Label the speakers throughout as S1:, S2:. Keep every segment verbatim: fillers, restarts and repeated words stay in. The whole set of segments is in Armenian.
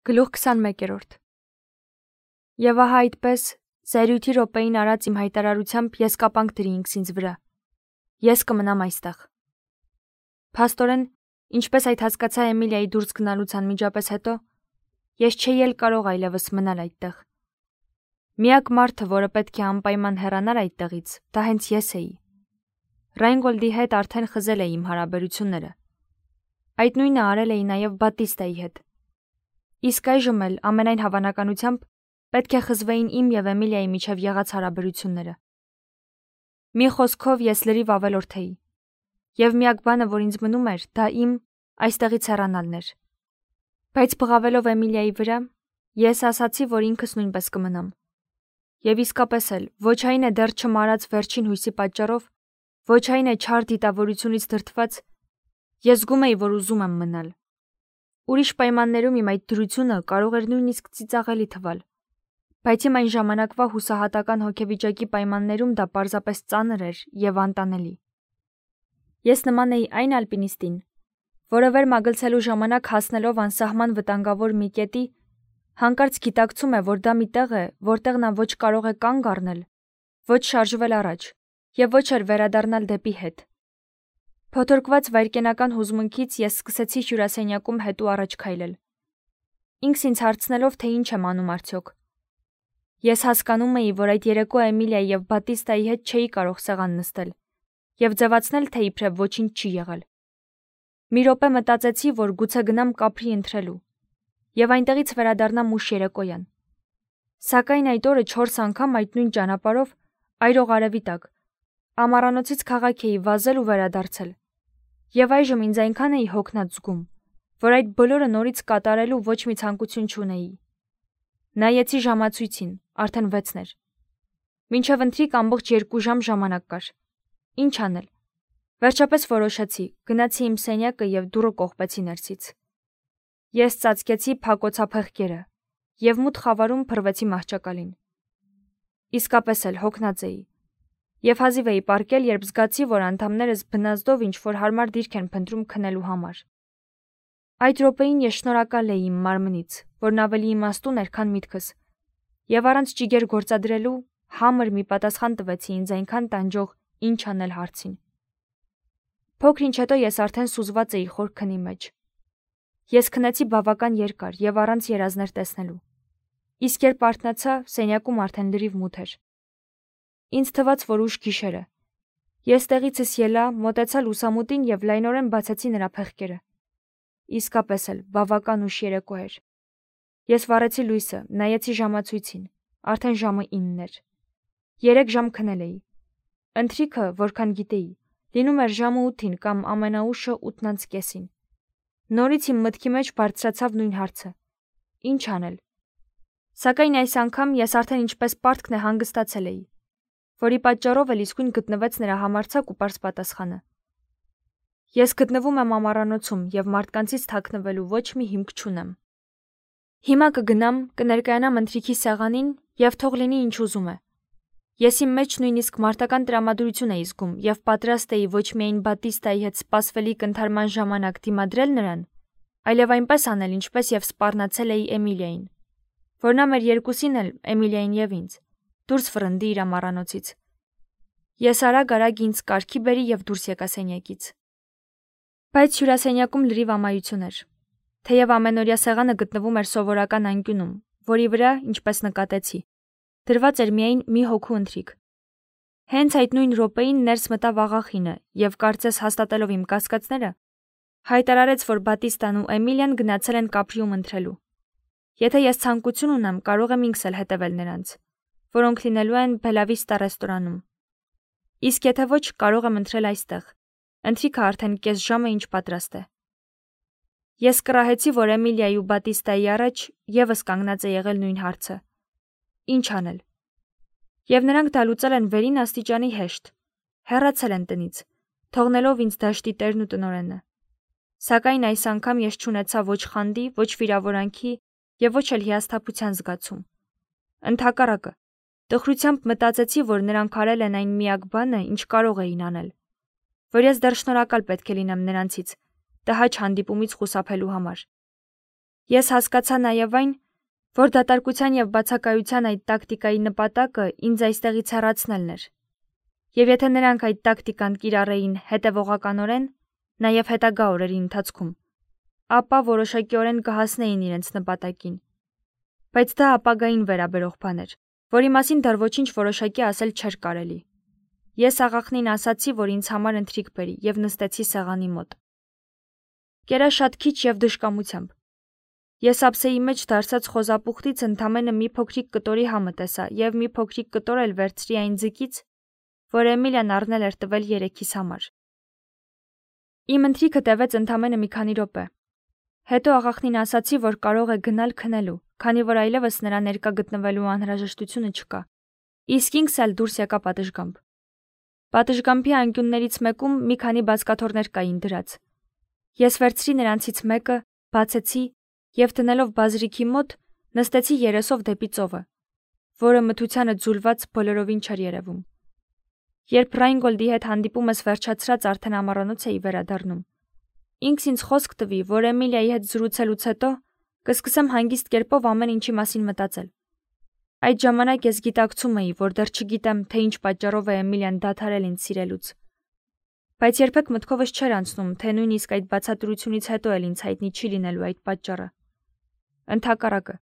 S1: Գլուխ քսանմեկերորդ Եվ ահա այդպես զայրույթի րոպեին արած իմ հայտարարությամբ ես կապանք դրի ինքս ինձ վրա. Ես կմնամ այստեղ։ Փաստորեն, ինչպես այդ հասկացա Էմիլիայի դուրս գնալուց անմիջապես հետո, ես չէի էլ կարող այլևս մնալ այդտեղ։ Միակ մարդը, որը պետք է անպայման հեռանար այդտեղից, դա հենց ես էի։ Ռայնգոլդի հետ արդեն խզել էի իմ հարաբերությունները։ Այդ նույնը արել էի նաև Բատիստայի հետ։ Իսկ այժմ էլ ամենայն հավանականությամբ պետք է խզվեին իմ և Էմիլիայի միջև եղած հարաբերությունները։ Մի խոսքով ես լրիվ ավելորդ էի։ Եվ միակ բանը, որ ինձ մնում էր, դա իմ այստեղից հեռանալն էր։ Բայց բղավելով Էմիլիայի վրա, ես ասացի, որ ինքս նույնպես կմնամ։ Եվ իսկապես էլ, ոչ այն է դեռ չմարած վերջին հույսի պատճառով, ոչ այն է չար դիտավորությունից դրդված, ես զգում էի, որ ուզում եմ մնալ։ Ուրիշ պայմաններում իմ այդ դրությունը կարող էր նույնիսկ ծիծաղելի թվալ, բայց իմ այն ժամանակվա հուսահատական հոգեվիճակի պայմաններում դա պարզապես ծանր էր և անտանելի։ Ես նման էի այն ալպինիստին, որը վեր մագլցելու ժամանակ հասնելով անսահման վտանգավոր մի կետի, հանկարծ գիտակցում է, որ դա մի տեղ է, որտեղ նա ոչ կարող է կանգ առնել, ոչ շարժվել առաջ և ոչ էլ վերադառնալ դեպի հետ։ Փոթորկված վայրկենական հուզմունքից ես սկսեցի հյուրասենյակում հետ ու առաջ քայլել, ինքս ինձ հարցնելով, թե ինչ եմ անում արդյոք։ Ես հասկանում էի, որ այդ երեկո Էմիլիայի և Բատիստայի հետ չէի կարող սեղան նստել և ձևացնել, թե իբրև ոչինչ չի եղել։ Մի րոպե մտածեցի, որ գուցե գնամ կափրի ընթրելու և այնտեղից վերադառնամ ուշ երեկոյան։ Սակայն այդ օրը չորս անգամ այդ նույն ճանապարհով, այրող արևի տակ, ամառանոցից քաղաք էի վազել ու վերադարձել։ Եվ այժմ ինձ այնքան էի հոգնած զգում, որ այդ բոլորը նորից կատարելու ոչ մի ցանկություն չունեի։ Նայեցի ժամացույցին, արդեն վեցն էր։ Մինչև ընթրիք ամբողջ երկու ժամ ժամանակ կար։ Ինչ անել։ Վերջապես որոշեցի, գնացի իմ սենյակը և դուռը կողպեցի ներսից։ Ես ծածկեցի փակոցափեղկերը և մութ խավարում փռվեցի մահճակալին։ Իսկապես էլ հոգնած էի և հազիվ էի պառկել, երբ զգացի, որ անդամներս բնազդով ինչ-որ հարմար դիրք են փնտրում քնելու համար։ Այդ րոպեին ես շնորհակալ էի իմ մարմնից, որն ավելի իմաստուն էր, քան միտքս, և առանց ջիգեր գործադրելու համր մի պատասխան տվեցի ինձ այնքան տանջող ինչ անել հարցին։ Փոքր ինչ հետո ես արդեն սուզված էի խոր քնի մեջ։ Ես քնեցի բավական երկար և առանց երազներ տեսնելու։ Իսկ երբ արթնացա, սենյակում արդեն լրիվ մութ էր։ Ինձ թվաց, որ ուշ գիշեր է։ Ես տեղիցս ելա, մոտեցա լուսամուտին և լայնորեն բացեցի նրա փեղկերը։ Իսկապես էլ բավական ուշ երեկո էր։ Ես վառեցի լույսը, նայեցի ժամացույցին, արդեն ժամը ինն էր։ Երեք ժամ քնել էի։ Ընթրիքը, որքան գիտեի, լինում էր ժամը ութին կամ ամենաուշը ութն անց կեսին։ Նորից իմ մտքի մեջ բարձրացավ նույն հարցը. ինչ անել։ Սակայն այս անգամ ես արդեն ինչպես պարտքն է հանգստացել էի, որի պատճառով էլ իսկույն գտնվեց նրա համարձակ ու պարզ պատասխանը. Ես գտնվում եմ ամառանոցում և մարդկանցից թաքնվելու ոչ մի հիմք չունեմ։ Հիմա կգնամ, կներկայանամ ընթրիքի սեղանին և թող լինի ինչ ուզում է։ Ես իմ մեջ նույնիսկ մարտական տրամադրություն էի զգում և պատրաստ էի ոչ միայն Բատիստայի հետ սպասվելիք ընդհարման ժամանակ դիմադրել նրան, այլև այնպես անել, ինչպես և սպառնացել էի Էմիլիային, որ նա մեր երկուսին էլ, Էմիլիային և ինձ, դուրս վռնդի իր ամառանոցից։ Ես արագ-արագ ինձ կարգի բերի և դուրս եկա սենյակից։ Բայց հյուրասենյակում լրիվ ամայություն էր։ Թեև ամենօրյա սեղանը գտնվում էր սովորական անկյունում, որի վրա, ինչպես նկատեցի, դրված էր միայն մի հոգու ընթրիք։ Հենց այդ նույն րոպեին ներս մտավ աղախինը և, կարծես հաստատելով իմ կասկածները, հայտարարեց, որ Բատիստան ու Էմիլիան գնացել են կափրիում ընթրելու։ Եթե ես ցանկություն ունեմ, կարող եմ ինքս էլ հետևել նրանց, որոնք լինելու են Բելավիստա ռեստորանում։ Իսկ եթե ոչ, կարող եմ ընթրել այստեղ։ Ընթրիքը արդեն կես ժամ է ինչ պատրաստ է։ Ես կռահեցի, որ Էմիլիայի ու Բատիստայի առաջ ևս կանգնած է եղել նույն հարցը. ինչ անել։ Եվ նրանք դա լուծել են վերին աստիճանի հեշտ, հեռացել են տնից, թողնելով ինձ դաշտի տերն ու տնօրենը։ Սակայն այս անգամ ես չունեցա ոչ խանդի, ոչ վիրավորանքի և ոչ էլ հիասթափության զգացում։ Ընդհակառակը, տխրությամբ մտածեցի, որ նրանք արել են այն միակ բանը, ինչ կարող էին անել, որ ես դեռ շնորհակալ պետք է լինեմ նրանցից, տհաճ հանդիպումից խուսափելու համար։ Ես հասկացա նաև այն, որ դատարկության և բացակայության այդ տակտիկայի նպատակը ինձ այստեղից հեռացնելն էր։ Եվ եթե նրանք այդ տակտիկան կիրառեին հետևողականորեն, նաև հետագա օրերի ընթացքում, ապա որոշակիորեն կհասնեին իրենց նպատակին։ Բայց դա ապագային վերաբերող բան էր, որի մասին դեռ ոչինչ որոշակի ասել չէր կարելի։ Ես աղախնին ասացի, որ ինձ համար ընթրիք բերի և նստեցի սեղանի մոտ։ Կերա շատ քիչ և դժկամությամբ։ Ես ափսեի մեջ դարսած խոզապուխտից ընդամենը մի փոքրիկ կտորի համը տեսա և մի փոքրիկ կտոր էլ վերցրի այն ձկից, որ Էմիլիան առնել էր տվել երեքիս համար։ Իմ ընթրիքը տևեց ընդամենը մի քանի րոպե։ Հետո աղախնին ասացի, որ կարող է գնալ քնելու, քանի որ այլևս նրա ներկա գտնվելու անհրաժեշտությունը չկա։ Իսկ ինքս էլ դուրս եկա պատշգամբ։ Պատշգամբի անկյուններից մեկում մի քանի բազկաթոռներ կային դրած։ Ես վերցրի նրանցից մեկը, բացեցի և դնելով բազրիքի մոտ նստեցի երեսով դեպի ծովը, որը մթությանը ձուլված բոլորովին չէր երևում։ Երբ Ռայնգոլդի հետ հանդիպումս վերջացրած արդեն ամառանոց էի վերադառնում, ինքս ինձ խոսք տվի, որ Էմիլիայի հետ զրուցելուց հետո կսկսեմ հանգիստ կերպով ամեն ինչի մասին մտածել։ Այդ ժամանակ ես գիտակցում էի, որ դեռ չգիտեմ, թե ինչ պատճառով է Էմիլիան դադարել ինձ սիրելուց։ Բայց երբեք մտքովս չէր անցնում, թե նույնիսկ այդ բացատրությունից հետո էլ ինձ հայտնի չի լինելու այդ պատճառը։ Ընդհակառակը,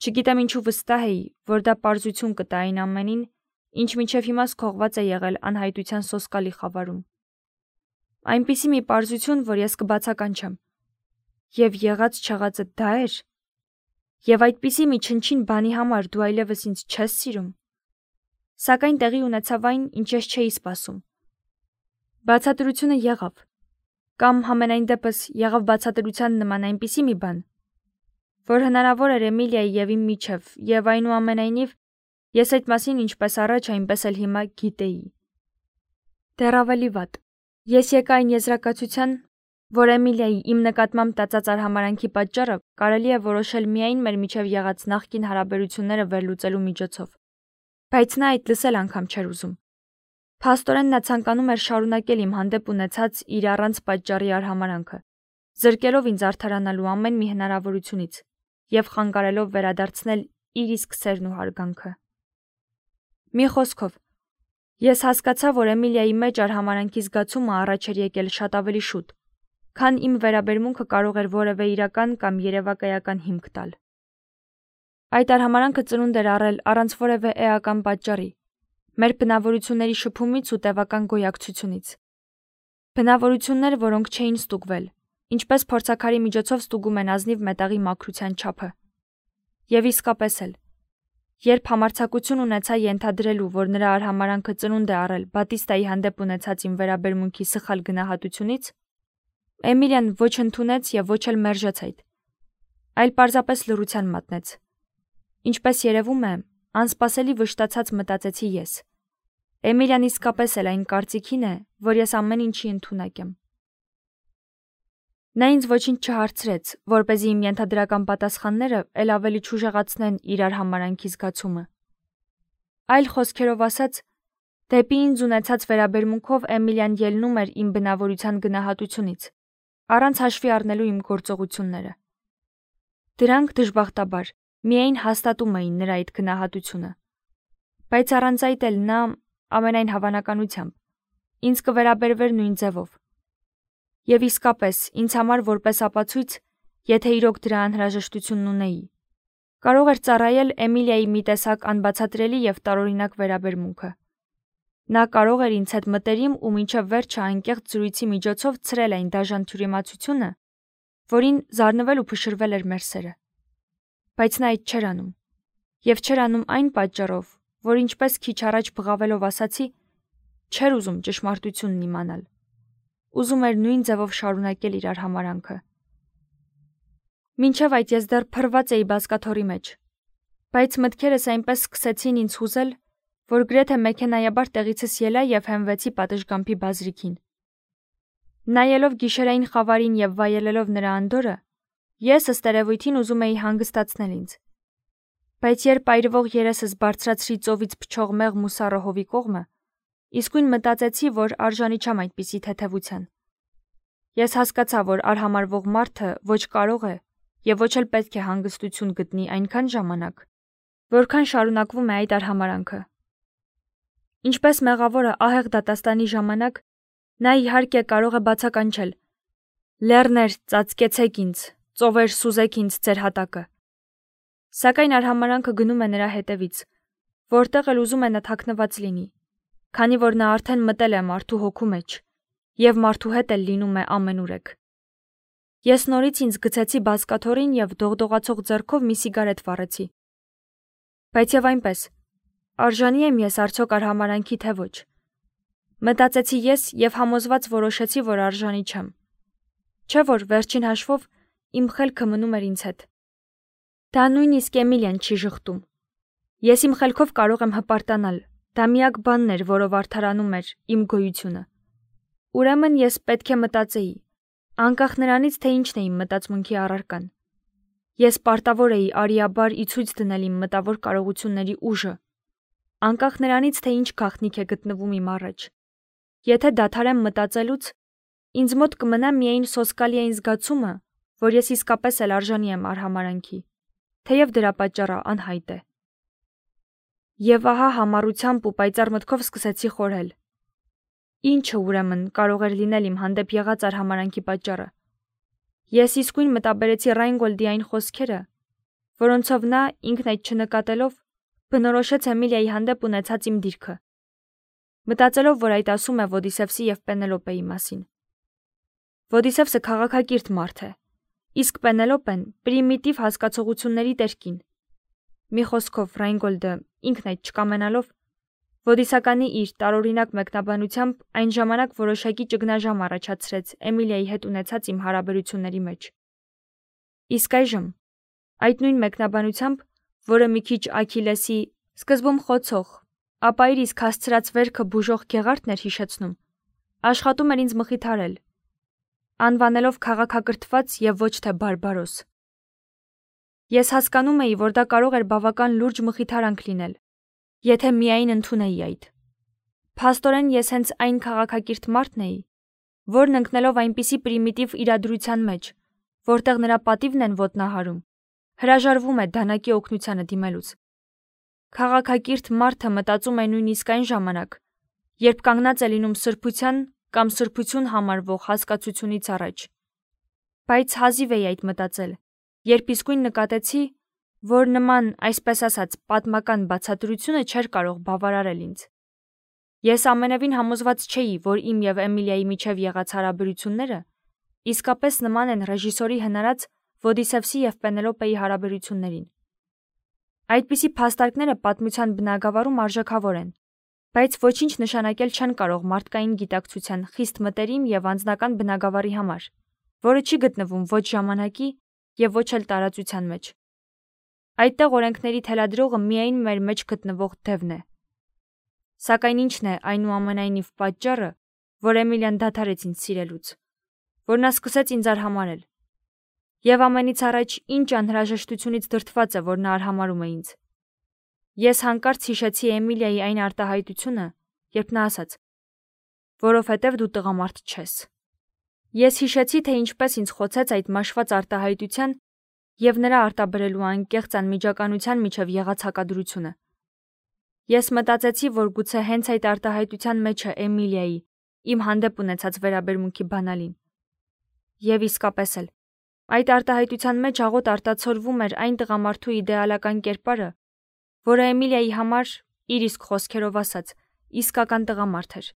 S1: չգիտեմ ինչու վստահ էի, որ դա պարզություն կտա այն ամենին, ինչ մինչև հիմա սքողված է եղել անհայտության սոսկալի խավարում։ Այնպիսի մի պարզություն, որ ես կբացականչեմ։ Եվ եղած չեղածը դա էր։ Եվ այդպիսի մի չնչին բանի համար դու այլևս ինձ չես սիրում։ Սակայն տեղի ունեցավ այն, ինչ ես չէի սպասում։ Բացատրությունը եղավ, կամ համենայն դեպս եղավ բացատրության նման այնպիսի մի բան, որ հնարավոր էր Էմիլիայի և իմ միջև, և այնուամենայնիվ ես այդ մասին ինչպես առաջ, այնպես էլ հիմա գիտեի։ Դեռ ավելի վատ, ես եկա այն եզրակացության, որ Էմիլիայի իմ նկատմամբ տածած արհամարհանքի պատճառը կարելի է որոշել միայն մեր միջև եղած նախկին հարաբերությունները վերլուծելու միջոցով։ Բայց նա այդ լսել անգամ չէր ուզում։ Փաստորեն նա ցանկանում էր շարունակել իմ հանդեպ ունեցած իր առանց պատճառի արհամարհանքը, զրկելով ինձ արդարանալու ամեն մի հնարավորությունից և խանգարելով վերադարձնել իր իսկ սերն ու հարգանքը։ Մի խոսքով, ես հասկացա, որ Էմիլիայի մեջ արհամարհանքի զգացումը առաջ էր եկել շատ ավելի շուտ, քան իմ վերաբերմունքը կարող էր որևէ իրական կամ երևակայական հիմք տալ։ Այդ արհամարհանքը ծնունդ էր առել առանց որևէ էական պատճառի, մեր բնավորությունների շփումից ու տևական գոյակցությունից։ Բնավորություններ, որոնք չէին ստուգվել, ինչպես փորձաքարի միջոցով ստուգում են ազնիվ մետաղի մաքրության չափը։ Եվ իսկապես էլ, երբ համարձակություն ունեցա ենթադրելու, որ նրա արհամարհանքը ծնունդ է առել Բատիստայի հանդեպ ունեցած իմ վերաբերմունքի սխալ գնահատությունից, Էմիլիան ոչ ընդունեց և ոչ էլ մերժեց այդ, այլ պարզապես լռության մատնեց։ Ինչպես երևում է, անսպասելի վշտացած մտածեցի ես։ Էմիլիան իսկապես էլ այն կարծիքին է, որ ես ամեն ինչի ընդունակ եմ։ Նա ինձ ոչինչ չհարցրեց, որպեսզի իմ ենթադրական պատասխանները էլ ավելի չուժեղացնեն իր արհամարհանքի զգացումը։ Այլ խոսքերով ասած, դեպի ինձ ունեցած վերաբերմունքով Էմիլիան ելնում էր իմ բնավորության գնահատությունից, առանց հաշվի առնելու իմ գործողությունները։ Դրանք դժբախտաբար միայն հաստատում էին նրա այդ գնահատությունը։ Բայց առանց այդ էլ նա, ամենայն հավանականությամբ, ինձ կվերաբերվեր նույն ձևով։ Եվ իսկապես, ինձ համար որպես ապացույց, եթե իրոք դրա անհրաժեշտությունն ունեի, կարող էր ծառայել Էմիլիայի մի տեսակ անբացատրելի և տարօրինակ վերաբերմունքը։ Նա կարող էր ինձ հետ մտերիմ ու մինչև վերջը անկեղծ զրույցի միջոցով ցրել այն դաժան թյուրիմացությունը, որին զարնվել ու փշրվել էր մեր սերը։ Բայց նա այդ չէր անում։ Եվ չէր անում այն պատճառով, որ ինչպես քիչ առաջ բղավելով ասացի, չէր ուզում ճշմարտությունն իմանալ։ Ուզում էր նույն ձևով շարունակել իր արհամարհանքը։ Մինչև այդ ես դեռ փռված էի բազկաթոռի մեջ, բայց մտքերս այնպես սկսեցին ինձ հուզել, որ գրեթե մեքենայաբար տեղիցս ելա և հենվեցի պատշգամբի բազրիքին։ Նայելով գիշերային խավարին և վայելելով նրա անդորրը, ես ըստ երևույթին ուզում էի հանգստացնել ինձ։ Բայց երբ այրվող երեսս բարձրացրի ծովից փչող մեղմ ու սառը հովի կողմը, իսկույն մտածեցի, որ արժանի չեմ այդպիսի թեթևության։ Ես հասկացա, որ արհամարվող մարդը ոչ կարող է եւ ոչ էլ պետք է հանգստություն գտնի այնքան ժամանակ, որքան շարունակվում է այդ արհամարանքը։ Ինչպես մեղավորը ահեղ դատաստանի ժամանակ, նա իհարկե կարող է բացականչել. «Լեռներ, ծածկեցեք ինձ, ծովեր, սուզեք ինձ ձեր հատակը»։ Սակայն արհամարանքը գնում է նրա հետևից, որտեղ էլ ուզում է նա թաքնված լինի, քանի որ նա արդեն մտել է մարդու հոգու մեջ, եւ մարդու հետ էլ լինում է ամենուրեք։ Ես նորից ինձ գցեցի բազկաթոռին եւ դողդողացող ձեռքով մի սիգարետ վառեցի։ Բայց եւ այնպես, արժանի եմ ես արդյոք արհամարանքի թե ոչ։ Մտածեցի ես եւ համոզված որոշեցի, որ արժանի չեմ։ Չէ՞ որ վերջին հաշվով իմ խելքը մնում էր ինձ հետ։ Դա նույնիսկ Էմիլիան չի ժխտում։ Ես իմ խելքով կարող եմ հպարտանալ, դա միակ բանն էր, որով արդարանում էր իմ գոյությունը։ Ուրեմն ես պետք է մտածեի, անկախ նրանից, թե ինչն է իմ մտածմունքի առարկան։ Ես պարտավոր էի արիաբար ի ցույց դնել իմ մտավոր կարողությունների ուժը, անկախ նրանից, թե ինչ գաղտնիք է գտնվում իմ առաջ։ Եթե դադարեմ մտածելուց, ինձ մոտ կմնա միայն սոսկալի այն զգացումը, որ ես իսկապես էլ արժանի եմ արհամարանքի, թեև դրա պատճառը անհայտ է։ Եվ ահա համառությամբ ու պայծառ մտքով սկսեցի խորհել. Ինչը ուրեմն կարող էր լինել իմ հանդեպ եղած արհամարանքի պատճառը։ Ես իսկույն մտաբերեցի Ռայնգոլդի այն խոսքերը, որոնցով նա, ինքն այդ չնկատելով, բնորոշեց Էմիլիայի հանդեպ ունեցած իմ դիրքը, մտածելով, որ այդ ասում է Ոդիսևսի եւ Պենելոպեի մասին։ Ոդիսևսը քաղաքակիրթ մարդ է, իսկ Պենելոպեն պրիմիտիվ հասկացողությունների տերկին։ Մի խոսքով Ռայնգոլդը, ինքն այդ չկամենալով, Ոդիսականի իր տարօրինակ մեկնաբանությամբ այն ժամանակ որոշակի ճգնաժամ առաջացրեց Էմիլիայի հետ ունեցած իմ հարաբերությունների մեջ։ Իսկ այժմ, այդ նույն մեկնաբանությամբ, որը մի քիչ Աքիլեսի սկզբում խոցող, ապա իր իսկ հասցրած վերքը բուժող գեղարդն էր հիշեցնում, աշխատում էր ինձ մխիթարել, անվանելով քաղաքակրթված եւ ոչ թե բարբարոս։ Ես հասկանում էի, որ դա կարող էր բավական լուրջ մխիթարանք լինել, եթե միայն ընդունեի այդ։ Փաստորեն ես հենց այն քաղաքակիրթ մարդն էի, որն ընկնելով այնպիսի պրիմիտիվ իրադրության մեջ, որտեղ նրա պատիվն են ոտնահարում, հրաժարվում է դանակի օգնությանը դիմելուց։ Քաղաքակիրթ մարդը մտածում է նույնիսկ այն ժամանակ, երբ կանգնած է լինում սրբության կամ սրբություն համարվող հասկացությունից առաջ։ Բայց հազիվ էի այդ մտածել, երբ իսկույն նկատեցի, որ նման, այսպես ասած, պատմական բացատրությունը չէր կարող բավարարել ինձ։ Ես ամենևին համոզված չէի, որ իմ եւ Էմիլիայի միջև եղած հարաբերությունները իսկապես նման են ռեժիսորի հնարած Ոդիսևսի եւ Պենելոպեի հարաբերություններին։ Այդպիսի փաստարկները պատմության բնագավառում արժեքավոր են, բայց ոչինչ նշանակել չեն կարող մարդկային գիտակցության խիստ մտերիմ եւ անձնական բնագավառի համար, որը չի գտնվում ոչ ժամանակի եւ ոչ էլ տարածության մեջ։ Այդտեղ օրենքների թելադրողը միայն մեր մեջ գտնվող դևն է։ Սակայն ինչն է այնուամենայնիվ պատճառը, որ Էմիլիան դադարեց ինձ սիրելուց, որ նա սկսեց ինձ արհամարել։ Եվ ամենից առաջ ինչ անհրաժեշտությունից դրդված է, որ նա արհամարում է ինձ։ Ես հանկարծ հիշեցի Էմիլիայի այն արտահայտությունը, երբ նա ասաց. որովհետև դու տղամարդ չես։ Ես հիշեցի, թե ինչպես ինձ խոցեց այդ մաշված արտահայտության եւ նրա արտաբերելու անկեղծ անմիջականության միջև եղած հակադրությունը։ Ես մտածեցի, որ գուցե հենց այդ արտահայտության մեջ է Էմիլիայի իմ հանդեպ ունեցած վերաբերմունքի բանալին։ Եվ իսկապես էլ, այդ արտահայտության մեջ աղոտ արտացոլվում էր այն տղամարդու իդեալական կերպարը, որը Էմիլիայի համար, իր իսկ խոսքերով ասած, իսկական տղամարդ էր։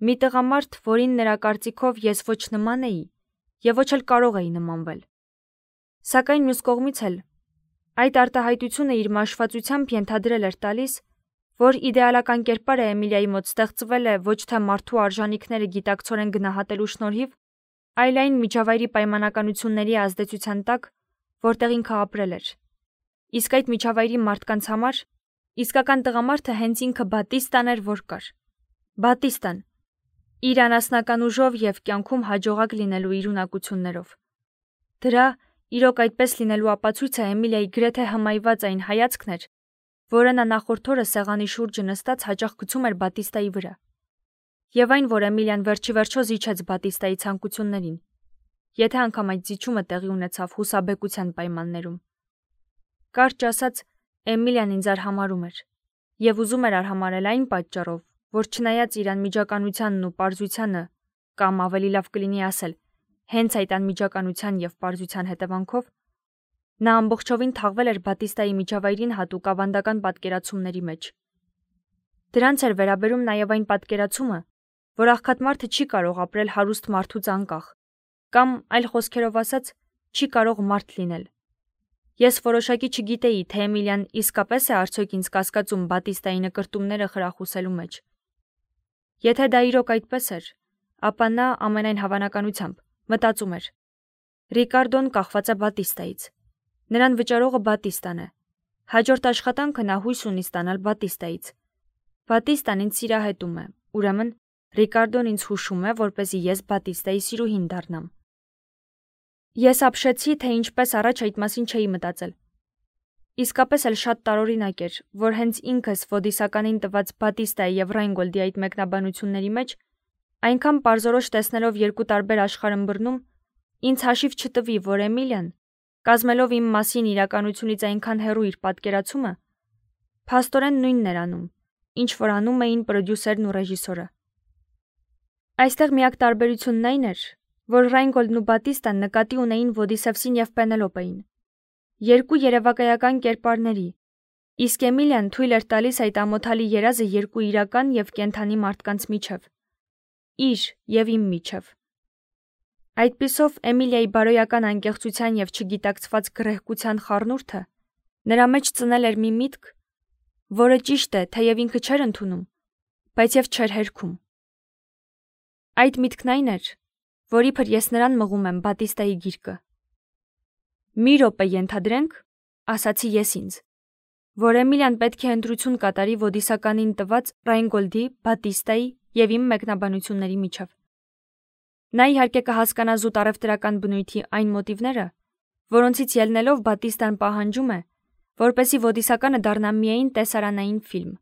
S1: Մի տղամարդ, որին նրա կարծիքով ես ոչ նման էի եւ ոչ էլ կարող էի նմանվել։ Սակայն մյուս կողմից էլ, այդ արտահայտությունը իր մաշվածությամբ ենթադրել էր տալիս, որ իդեալական կերպարը Էմիլիայի մոտ ստեղծվել է ոչ թե մարդու արժանինքները գիտակցորեն գնահատելու շնորհիվ, այլ այն միջավայրի պայմանականությունների ազդեցության տակ, որտեղ ինքը ապրել էր։ Իսկ այդ միջավայրի մարդկանց համար իսկական տղամարդը հենց ինքը Բատիստան էր, որ կար։ Բատիստան, իր անասնական ուժով եւ կյանքում հաջողակ լինելու իր ունակություններով։ Դրա, իրոք այդպես լինելու ապացույցը Էմիլիայի գրեթե հմայված այն հայացքն էր, որը նա նախորդ օրը սեղանի շուրջը նստած հաճախ գցում էր Բատիստայի վրա։ Եվ այն, որ Էմիլիան վերջիվերջո զիջեց Բատիստայի ցանկություններին, եթե անգամ այդ զիջումը տեղի ունեցավ հուսաբեկության պայմաններում։ Կարճ ասած, Էմիլիան ինձ արհամարհում էր եւ ուզում էր արհամարհել այն պատճառով, որ չնայած իր անմիջականությանն ու պարզությանը, կամ ավելի լավ կլինի ասել, հենց այդ անմիջականության եւ պարզության հետևանքով, նա ամբողջովին թաղվել էր Բատիստայի միջավայրին հատուկ ավանդական պատկերացումների մեջ։ Դրանց էր վերաբերում նաեւ այն պատկերացումը, որ աղքատ մարդը չի կարող ապրել հարուստ մարդուց անկախ, կամ այլ խոսքերով ասած, չի կարող մարդ լինել։ Ես որոշակի չգիտեի, թե Էմիլիան իսկապես է արդյոք ինձ կասկածում Բատիստայի նկրտումները խրախուսելու մեջ։ Եթե դա իրոք այդպես էր, ապա նա ամենայն հավանականությամբ մտածում էր. Ռիկարդոն կախված է Բատիստայից։ Նրան վճարողը Բատիստան է։ Հաջորդ աշխատանքը նա հույս ունի ստանալ Բատիստայից։ Բատիստան ինձ սիրահետում է, ուրեմն Ռիկարդոն ինձ հուշում է, որպեսզի ես Բատիստայի սիրուհին դառնամ։ Ես ապշեցի, թե ինչպես առաջ այդ մասին չէի մտածել։ Իսկապես էլ շատ տարօրինակ էր, որ հենց ինքս Վոդիսականին տված Բատիստայի եւ Ռայնգոլդի այդ մեկնաբանությունների մեջ, այնքան պարզորոշ տեսնելով երկու տարբեր աշխարհըմբռնում, ինձ հաշիվ չտվի, որ Էմիլիան, կազմելով իմ մասին իրականությունից այնքան հեռու իր պատկերացումը, փաստորեն նույնն էր անում, ինչ որ անում էին պրոդյուսերն ու ռեժիսորը։ Այստեղ միակ տարբերությունն այն էր, որ Ռայնգոլդն ու Բատիստան նկատի ունեին Ոդիսևսին եւ Պենելոպեին, երկու երևակայական կերպարների, իսկ Էմիլիան թույլ էր տալիս այդ ամոթալի երազը երկու իրական եւ կենդանի մարդկանց միջև, իր եւ իմ միջև։ Այդպիսով Էմիլիայի բարոյական անկեղծության եւ չգիտակցված գռեհկության խառնուրդը նրա մեջ ծնել էր մի միտք, որը ճիշտ է, թեև ինքը չէր ընդունում, բայց եւ չէր հերքում։ Այդ միտքն այն էր, որ իբր ես նրան մղում եմ Բատիստայի գիրկը։ Մի րոպե ենթադրենք, ասացի ես ինձ, որ Էմիլիան պետք է ընտրություն կատարի Ոդիսականին տված Ռայնգոլդի, Բատիստայի եւ իմ մեկնաբանությունների միջև։ Նա իհարկե կհասկանա զուտ առևտրական բնույթի այն մոտիվները, որոնցից ելնելով Բատիստան պահանջում է, որպեսզի Ոդիսականը դառնա միայն տեսարանային ֆիլմ։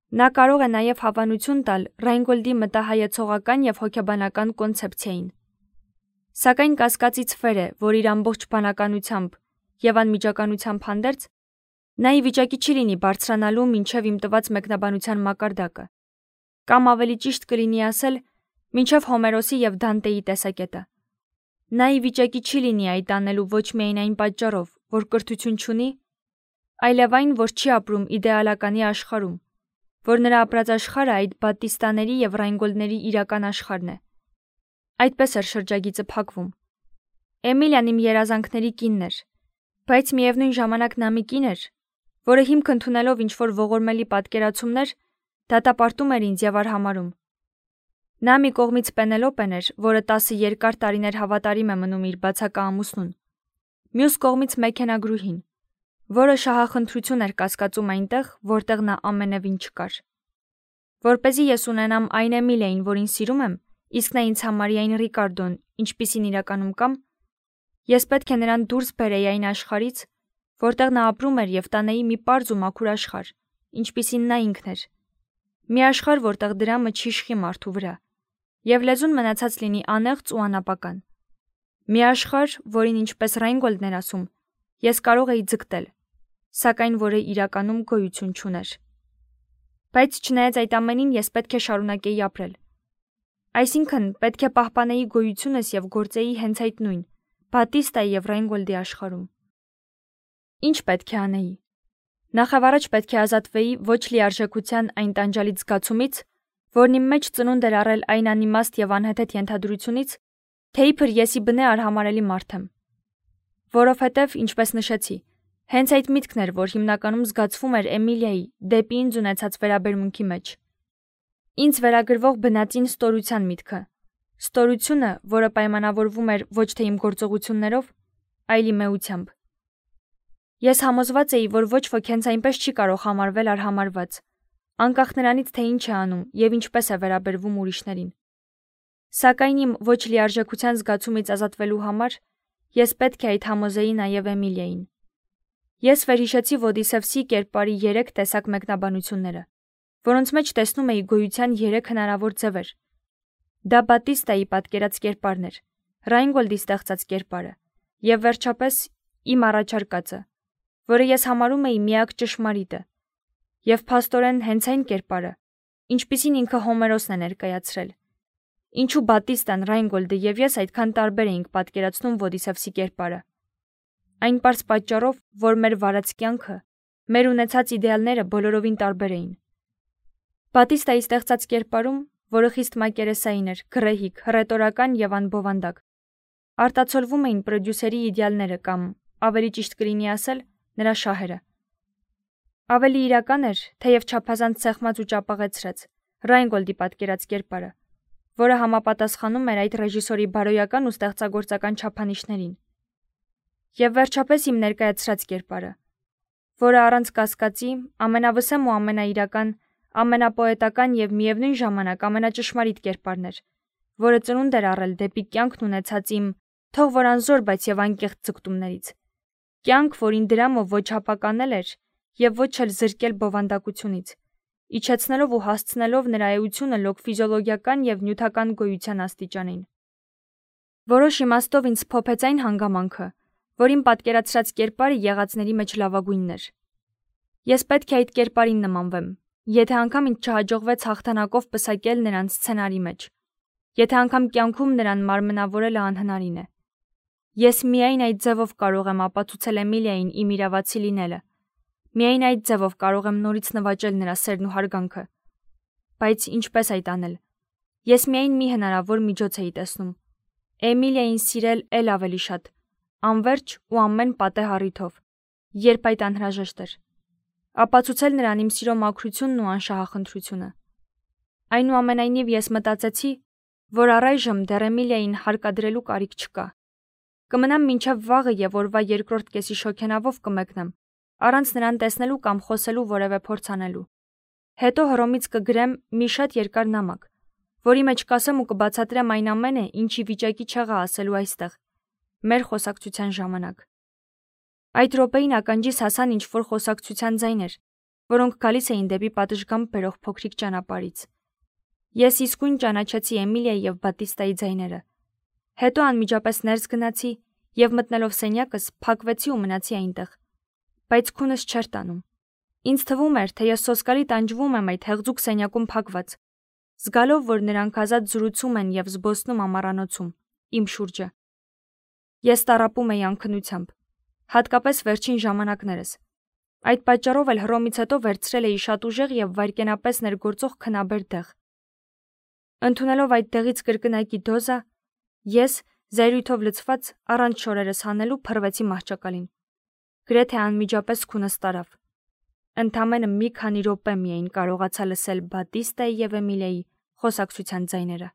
S1: Նա կարող է նաև հավանություն տալ Ռայնգոլդի մտահայեցողական եւ հոգեբանական կոնցեպցիային։ Սակայն կասկածից վեր է, որ իր ամբողջ բանականությամբ եւ անմիջականությամբ հանդերձ նա ի վիճակի չի լինի բարձրանալու մինչև իմ տված մեկնաբանության մակարդակը, կամ ավելի ճիշտ կլինի ասել, մինչև Հոմերոսի եւ Դանտեի տեսակետը։ Նա ի վիճակի չի լինի այդ անելու ոչ միայն այն պատճառով, որ կրթություն չունի, այլև այն, որ չի ապրում իդեալականի աշխարհում, որ նրա ապրած աշխարհը այդ Բատիստաների եւ Ռայնգոլդների իրական աշխարհն է։ Այդպես էր շրջագիծը փակվում։ Էմիլիան իմ երազանքների կինն էր, բայց միևնույն ժամանակ նա մի կին էր, որը հիմք ընդունելով ինչ-որ ողորմելի պատկերացումներ, դատապարտում էր ինձ եւ արհամարհում։ Նա մի կողմից Պենելոպեն էր, որը տասը երկար տարիներ հավատարիմ է մնում իր բացակա ամուսնուն, մյուս կողմից մեքենագրուհին, որը շահախնդրություն էր կասկածում այնտեղ, որտեղ նա ամենևին չկար։ Որպեսզի ես ունենամ այն Էմիլիային, որին սիրում եմ, իսկ նա ինձ համարի այն Ռիկարդոն, ինչպիսին իրականում կամ, ես պետք է նրան դուրս բերեի այն աշխարհից, որտեղ նա ապրում էր եւ տանեի մի պարզ ու մաքուր աշխարհ, ինչպիսին նա ինքն էր։ Մի աշխարհ, որտեղ դրամը չի իշխի մարդու վրա, եւ լեզուն մնացած լինի անեղծ ու անապական։ Մի աշխարհ, որին ինչպես Ռայնգոլդն էր ասում, ես կարող էի ձգտել, սակայն որը իրականում գոյություն չուներ։ Բայց չնայած այդ ամենին ես պետք է շարունակեի ապրել։ Այսինքն պետք է պահպանեի գոյությունս եւ գործեի հենց այդ նույն Բատիստայի եւ Ռայնգոլդի աշխարհում։ Ինչ պետք է անեի։ Նախավառաջ պետք է ազատվեի ոչ լիարժեքության այն տանջալից զգացումից, որն իմ մեջ ծնունդ էր առել այն անիմաստ եւ անհեթեթ ենթադրությունից, թե իբր ես ի բնե արհամարելի մարդ եմ։ Որովհետեւ, ինչպես նշեցի, հենց այդ միտքն էր, որ հիմնականում զգացվում էր Էմիլիայի դեպի ինձ ունեցած վերաբերմունքի մեջ։ Ինձ վերագրվող բնածին ստորության միտքը։ Ստորությունը, որը պայմանավորվում էր ոչ թե իմ գործողություններով, այլ իմ էությամբ։ Ես համոզված էի, որ ոչ ոք հենց այնպես չի կարող համարվել արհամարված, անկախ նրանից, թե ինչ է անում եւ ինչպես է վերաբերվում ուրիշներին։ Սակայն իմ ոչ լիարժեքության զգացումից ազատվելու համար ես պետք է այդ համոզեի նաեւ Էմիլիային։ Ես վերհիշեցի Ոդիսևսի կերպարի երեք տեսակ մեկնաբանությունները, որոնց մեջ տեսնում էի գոյության երեք հնարավոր ձևեր։ Դա Բատիստայի պատկերած կերպարն էր, Ռայնգոլդի ստեղծած կերպարը, եւ վերջապես իմ առաջարկածը, որը ես համարում էի միակ ճշմարիտը, եւ փաստորեն հենց այն կերպարը, ինչպիսին ինքը Հոմերոսն է ներկայացրել։ Ինչու Բատիստան, Ռայնգոլդը եւ ես այդքան տարբեր էինք պատկերացնում Ոդիսեվսի կերպարը։ Այն պարզ պատճառով, որ մեր վարած կյանքը, մեր ունեցած իդեալները բոլորովին տարբեր էին։ Բատիստայի ստեղծած կերպարում, որը խիստ մակերեսային էր, գռեհիկ, հռետորական եւ անբովանդակ, արտացոլվում էին պրոդյուսերի իդեալները կամ, ավելի ճիշտ կլինի ասել, նրա շահերը։ Ավելի իրական էր, թեև չափազանց սեղմած ու ճապաղեցրած, Ռայնգոլդի պատկերած կերպարը, որը համապատասխանում էր այդ ռեժիսորի բարոյական ու ստեղծագործական չափանիշներին։ Եվ վերջապես իմ ներկայացրած կերպարը, որը առանց կասկածի ամենավսեմ ու ամենաիրական, ամենապոետական եւ միևնույն ժամանակ ամենաճշմարիտ կերպարն էր, որը ծնունդ էր առել դեպի կյանքն ունեցած իմ, թող որ անզոր, բայց եւ անկեղծ ձգտումներից։ Կյանք, որին դրամով ոչ հապականել էր եւ ոչ էլ զրկել բովանդակությունից, իջեցնելով ու հասցնելով նրա էությունը լոկ ֆիզիոլոգիական եւ նյութական գոյության աստիճանին։ Որոշ իմաստով ինձ փոփեց այն հանգամանքը, որ իմ պատկերացրած կերպարը եղածների մեջ լավագույնն էր։ Ես պետք է այդ կերպարին նմանվեմ, եթե անգամ ինձ չհաջողվեց հաղթանակով պսակել նրան սցենարի մեջ, եթե անգամ կյանքում նրան մարմնավորելը անհնարին է։ Ես միայն այդ ձևով կարող եմ ապացուցել Էմիլիային իմ իրավացի լինելը, միայն այդ ձևով կարող եմ նորից նվաճել նրա սերն ու հարգանքը։ Բայց ինչպես այդ անել։ Ես միայն մի հնարավոր միջոց էի տեսնում։ Էմիլիային սիրել էլ ավելի շատ, անverջ ու ամեն պատեհ առիթով, երբ այդ անհրաժեշտ էր։ Ապացուցել նրան իմ սիրո մաքրությունն ու անշահախնդրությունը։ Այնուամենայնիվ ես մտածեցի, որ առայժմ դեռ Էմիլիային հարկադրելու կարիք չկա։ Կմնամ մինչև վաղը եւ օրվա երկրորդ կեսի շոգենավով կմեկնեմ, առանց նրան տեսնելու կամ խոսելու որևէ փորձ անելու։ Հետո Հռոմից կգրեմ մի շատ երկար նամակ, որի մեջ կասեմ ու կբացատրեմ այն ամենը, ինչի վիճակի չեղա ասելու այստեղ, մեր խոսակցության ժամանակ։ Այդ րոպեին ականջիս հասան ինչ-որ խոսակցության ձայներ, որոնք գալիս էին դեպի պատշգամբ բերող փոքրիկ ճանապարհից։ Ես իսկույն ճանաչեցի Էմիլիայի եւ Բատիստայի ձայները։ Հետո անմիջապես ներս գնացի եւ մտնելով սենյակս փակվեցի ու մնացի այնտեղ։ Բայց քունս չէր տանում։ Ինձ թվում էր, թե ես սոսկալի տանջվում եմ այդ հեղձուկ սենյակում փակված, զգալով, որ նրանք ազատ զրուցում են եւ զբոսնում ամառանոցում, իմ շուրջը։ Ես տառապում էի անքնությամբ, հատկապես վերջին ժամանակներս։ Այդ պատճառով էլ Հռոմից հետո վերցրել էի շատ ուժեղ եւ վայրկենապես ներգործող քնաբեր դեղ։ Ընդունելով այդ դեղից կրկնակի դոզա, ես, զայրույթով լցված, առանց շորերս հանելու փռվեցի մահճակալին։ Գրեթե անմիջապես քունս տարավ։ Ընդամենը մի քանի րոպե միայն կարողացա լսել Բատիստայի եւ Էմիլիայի խոսակցության ձայները։